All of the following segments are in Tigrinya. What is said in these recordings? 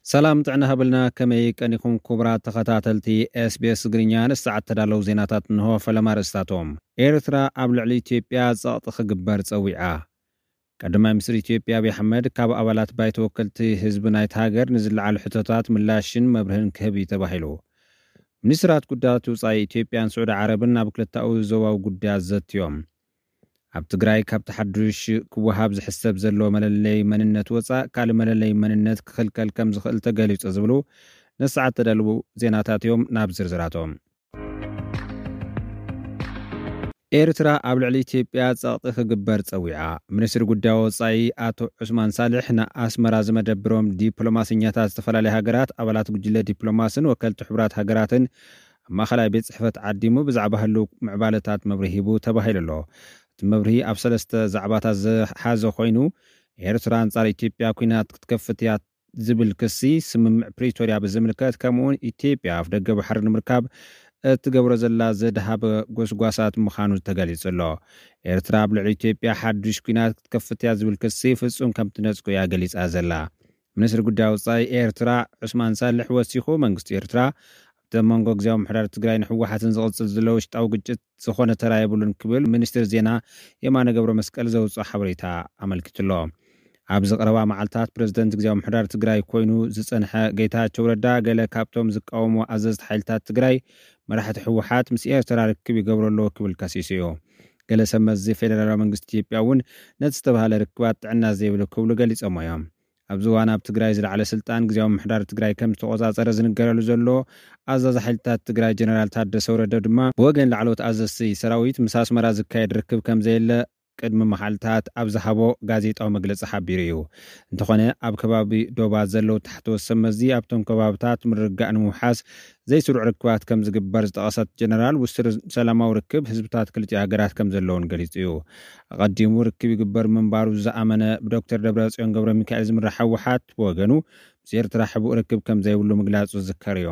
ሰላም ጥዕና ሃብልና፣ ከመይ ቀኒኹም ክቡራት ተኸታተልቲ ኤስቢኤስ ትግርኛ? ንሰዓት ተዳለዉ ዜናታት እንሆ። ፈለማ ርእስታቶም። ኤርትራ ኣብ ልዕሊ ኢትዮጵያ ጸቕጢ ክግበር ጸዊዓ። ቀዳማይ ሚኒስትር ኢትዮጵያ ኣብይ ኣሕመድ ካብ ኣባላት ባይቶ ወከልቲ ህዝቢ ናይቲ ሃገር ንዝለዓሉ ሕቶታት ምላሽን መብርህን ክህብ እዩ ተባሂሉ። ሚኒስትራት ጉዳያት ወጻኢ ኢትዮጵያን ስዑዲ ዓረብን ኣብ ክልተኣዊ ዞባዊ ጉዳያት ዘትዮም። ኣብ ትግራይ ካብቲ ሓዱሽ ክወሃብ ዝሕሰብ ዘሎ መለለይ መንነት ወጻእ ካልእ መለለይ መንነት ክኽልከል ከም ዝኽእል ተገሊጹ ዝብሉ ንሰዓት ተዳለዉ ዜናታት እዮም። ናብ ዝርዝራቶም። ኤርትራ ኣብ ልዕሊ ኢትዮጵያ ጸቕጢ ክግበር ጸዊዓ። ሚኒስትሪ ጉዳይ ወጻኢ ኣቶ ዑስማን ሳልሕ ንኣስመራ ዝመደብሮም ዲፕሎማሰኛታት ዝተፈላለዩ ሃገራት፣ ኣባላት ጉጅለ ዲፕሎማስን ወከልቲ ሕቡራት ሃገራትን ኣብ ማእኸላይ ቤት ጽሕፈት ዓዲሙ ብዛዕባ ህልው ምዕባለታት መብርሂ ሂቡ ተባሂሉ ኣሎ። እቲ መብርሂ ኣብ ሰለስተ ዛዕባታት ዝሓዘ ኮይኑ፣ ኤርትራ ኣንጻር ኢትዮጵያ ኲናት ክትከፍት እያ ዝብል ክሲ፣ ስምምዕ ፕሪቶርያ ብዝምልከት፣ ከምኡውን ኢትዮጵያ ኣፍ ደገ ባሕሪ ንምርካብ እትገብሮ ዘላ ዘድሃበ ጎስጓሳት ምዃኑ ተገሊጹ ኣሎ። ኤርትራ ኣብ ልዕሊ ኢትዮጵያ ሓዱሽ ኲናት ክትከፍት እያ ዝብል ክሲ ፍጹም ከም ትነጽጎ እያ ገሊጻ ዘላ። ሚኒስትሪ ጉዳይ ወጻኢ ኤርትራ ዑስማን ሳልሕ ወሲኹ፣ መንግስቲ ኤርትራ ኣብቲ ኣብ መንጎ ግዝያዊ ምሕዳር ትግራይን ህወሓትን ዝቕጽል ዘሎ ውሽጣዊ ግጭት ዝኾነ ተራ የብሉን ክብል ሚኒስትር ዜና የማነ ገብረ መስቀል ዘውፅኦ ሓበሬታ ኣመልኪቱ ኣሎ። ኣብዚ ቀረባ መዓልታት ፕሬዝደንት ግዝያዊ ምሕዳር ትግራይ ኮይኑ ዝጸንሐ ጌታቸው ረዳ፣ ገለ ካብቶም ዝቃወሙ ኣዘዝቲ ሓይልታት ትግራይ መራሕቲ ህወሓት ምስ ኤርትራ ርክብ ይገብሩ ኣለዉ ክብል ከሲሱ እዩ። ገለ ሰብ መዚ ፌደራላዊ መንግስቲ ኢትዮጵያ እውን ነቲ ዝተባህለ ርክባት ጥዕና ዘይብሉ ክብሉ ገሊጾሞ እዮም። ኣብዚ እዋን ኣብ ትግራይ ዝለዓለ ስልጣን ግዝያዊ ምሕዳር ትግራይ ከም ዝተቆጻጸረ ዝንገረሉ ዘሎ ኣዛዚ ሓይልታት ትግራይ ጀነራል ታደሰ ወረደ ድማ፣ ብወገን ላዕለዎት ኣዘዝቲ ሰራዊት ምስ ኣስመራ ዝካየድ ርክብ ከም ዘየለ ቅድሚ መዓልታት ኣብ ዝሃቦ ጋዜጣዊ መግለጺ ሓቢሩ እዩ። እንተኾነ፣ ኣብ ከባቢ ዶባት ዘለዉ ታሕተዎት ሰብ መዚ ኣብቶም ከባብታት ምርግጋእ ንምውሓስ ዘይስሩዕ ርክባት ከም ዝግበር ዝጠቐሰት ጀነራል፣ ውሱን ሰላማዊ ርክብ ህዝብታት ክልቲኡ ሃገራት ከም ዘለውን ገሊጹ እዩ። ኣቐዲሙ ርክብ ይግበር ምንባሩ ዝኣመነ ብዶክተር ደብረጽዮን ገብረ ሚካኤል ዝምራሕ ህወሓት ብወገኑ፣ ምስ ኤርትራ ሕቡእ ርክብ ከም ዘይብሉ ምግላጹ ዝዝከር እዩ።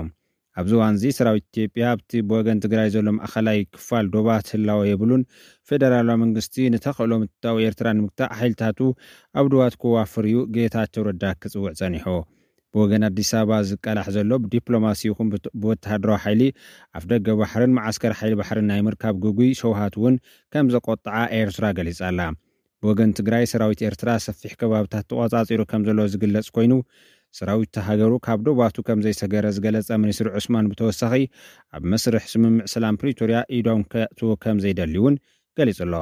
ኣብዚ እዋን እዚ ሰራዊት ኢትዮጵያ ኣብቲ ብወገን ትግራይ ዘሎ ማእኸላይ ክፋል ዶባት ህላወ የብሉን። ፌደራላዊ መንግስቲ ንተኽእሎ ምትታው ኤርትራ ንምግታእ ሓይልታቱ ኣብ ዶባት ከዋፍር እዩ ጌታቸው ረዳ ክጽውዕ ጸኒሑ። ብወገን ኣዲስ ኣበባ ዝቃላሕ ዘሎ ብዲፕሎማሲ ይኹን ብት-፣ ብወተሃደራዊ ሓይሊ ኣፍ ደገ ባሕርን መዓስከር ሓይሊ ባሕርን ናይ ምርካብ ግጉይ ሸውሃት እውን ከም ዘቆጥዓ ኤርትራ ገሊጻ ኣላ። ብወገን ትግራይ፣ ሰራዊት ኤርትራ ሰፊሕ ከባብታት ተቖጻጺሩ ከም ዘሎ ዝግለጽ ኮይኑ፣ ሰራዊት ሃገሩ ካብ ዶባቱ ከም ዘይሰገረ ዝገለጸ ሚኒስትር ዑስማን ብተወሳኺ፣ ኣብ መስርሕ ስምምዕ ሰላም ፕሪቶርያ ኢዶም ከእትዉ ከም ዘይደልዩ እውን ገሊጹ ኣሎ።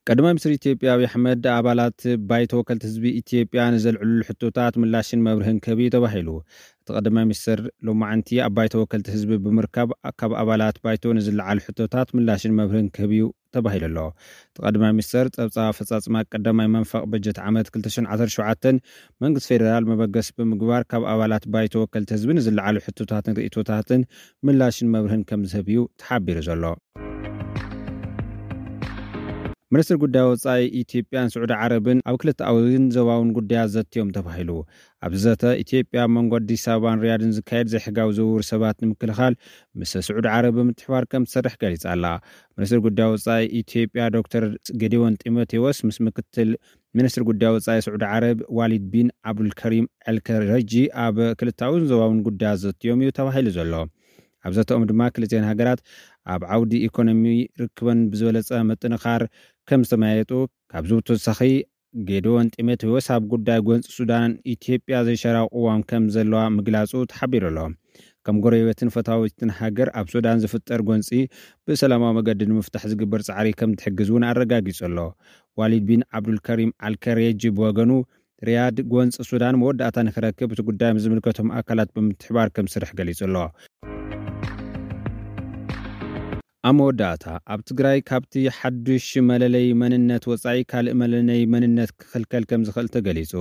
ቀዳማይ ሚኒስትር ኢትዮጵያ ኣብይ ኣሕመድ፣ ኣባላት ባይቶ ወከልቲ ህዝቢ ኢትዮጵያ ንዘልዕሉ ሕቶታት ምላሽን መብርህን ክህብ እዩ ተባሂሉ። እቲ ቀዳማይ ሚኒስትር ሎማዕንቲ ኣብ ባይቶ ወከልቲ ህዝቢ ብምርካብ፣ ካብ ኣባላት ባይቶ ንዝለዓሉ ሕቶታት ምላሽን መብርህን ክህብ እዩ ተባሂሉ ኣሎ። እቲ ቀዳማይ ሚኒስትር፣ ጸብጻብ ኣፈጻጽማ ቀዳማይ መንፈቕ በጀት ዓመት ክልተ ሽሕን ዓሰርተ ሸውዓተን መንግስቲ ፌደራል መበገሲ ብምግባር፣ ካብ ኣባላት ባይቶ ወከልቲ ህዝቢ ንዝለዓሉ ሕቶታትን ርእይቶታትን ምላሽን መብርህን ከም ዝህብ እዩ ተሓቢሩ ዘሎ። ሚኒስትር ጉዳይ ወጻኢ ኢትዮጵያን ስዑዲ ዓረብን ኣብ ክልተኣዊን ዞባውን ጉዳያት ዘትዮም ተባሂሉ። ኣብዚ ዘተ፣ ኢትዮጵያ ኣብ መንጎ ኣዲስ ኣበባን ሪያድን ዝካየድ ዘይሕጋዊ ዝውውር ሰባት ንምክልኻል ምስ ስዑዲ ዓረብ ብምትሕባር ከም ትሰርሕ ገሊጻ ኣላ። ሚኒስትር ጉዳይ ወጻኢ ኢትዮጵያ ዶክተር ጌዲዮን ጢሞቴዎስ ምስ ምክትል ሚኒስትር ጉዳይ ወጻኢ ስዑዲ ዓረብ ዋሊድ ቢን ዓብዱልከሪም ኣልከረጂ ኣብ ክልተኣዊን ዞባውን ጉዳያት ዘትዮም እዩ ተባሂሉ ዘሎ። ኣብ ዘተኦም ድማ ክልቲኤን ሃገራት ኣብ ዓውዲ ኢኮኖሚ ርክበን ብዝበለጸ ምጥንኻር ከም ዝተመያየጡ፣ ካብዚ ብተወሳኺ ጌዲዮን ጢሞቴዎስ ኣብ ጉዳይ ጎንፂ ሱዳን ኢትዮጵያ ዘይሻራዊ ቅዋም ከም ዘለዋ ምግላጹ ተሓቢሩ ኣሎ። ከም ጎረቤትን ፈታዊትን ሃገር ኣብ ሱዳን ዝፍጠር ጎንፂ ብሰላማዊ መገዲ ንምፍታሕ ዝግበር ጻዕሪ ከም ትሕግዝ እውን ኣረጋጊጹ ኣሎ። ዋሊድ ቢን ዓብዱልከሪም ኣልከሬጂ ብወገኑ፣ ሪያድ ጎንፂ ሱዳን መወዳእታ ንክረክብ እቲ ጉዳይ ምስ ዝምልከቶም ኣካላት ብምትሕባር ከም ዝሰርሕ ገሊጹ ኣሎ። ኣብ መወዳእታ፣ ኣብ ትግራይ ካብቲ ሓዱሽ መለለይ መንነት ወጻኢ ካልእ መለለይ መንነት ክኽልከል ከም ዝኽእል ተገሊጹ።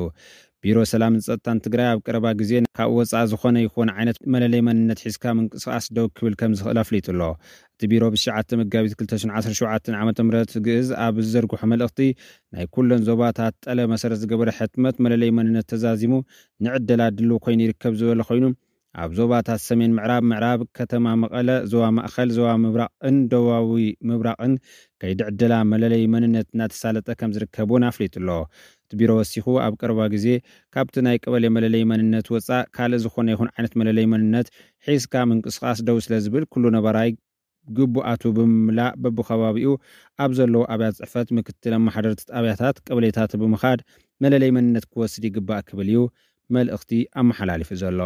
ቢሮ ሰላምን ጸጥታን ትግራይ ኣብ ቀረባ ግዜ ካብ ወጻኢ ዝኾነ ይኹን ዓይነት መለለይ መንነት ሒዝካ ምንቅስቓስ ደው ክብል ከም ዝኽእል ኣፍሊጡ ኣሎ። እቲ ቢሮ ብትሽዓተ መጋቢት ክልተ ሽሕን ዓሰርተ ሸውዓተን ዓመተ ምህረት ግእዝ ኣብ ዝዘርግሖ መልእኽቲ፣ ናይ ኩለን ዞባታት ጠለብ መሰረት ዝገበረ ሕትመት መለለይ መንነት ተዛዚሙ ንዕደላ ድሉው ኮይኑ ይርከብ ዝበለ ኮይኑ፣ ኣብ ዞባታት ሰሜን ምዕራብ፣ ምዕራብ ከተማ መቐለ፣ ዞባ ማእኸል፣ ዞባ ምብራቕን ደቡባዊ ምብራቕን ከይዲ ዕደላ መለለይ መንነት እናተሳለጠ ከም ዝርከብ እውን ኣፍሊጡ ኣሎ። እቲ ቢሮ ወሲኹ፣ ኣብ ቀረባ ግዜ ካብቲ ናይ ቀበሌ መለለይ መንነት ወፃእ ካልእ ዝኾነ ይኹን ዓይነት መለለይ መንነት ሒዝካ ምንቅስቓስ ደው ስለ ዝብል፣ ኩሉ ነባራይ ግቡኣቱ ብምምላእ በብኸባቢኡ ኣብ ዘለዉ ኣብያተ ፅሕፈት ምክትል ኣመሓደርቲ ጣብያታት ቀበሌታት ብምኻድ መለለይ መንነት ክወስድ ይግባእ ክብል እዩ መልእኽቲ ኣመሓላሊፉ ዘሎ።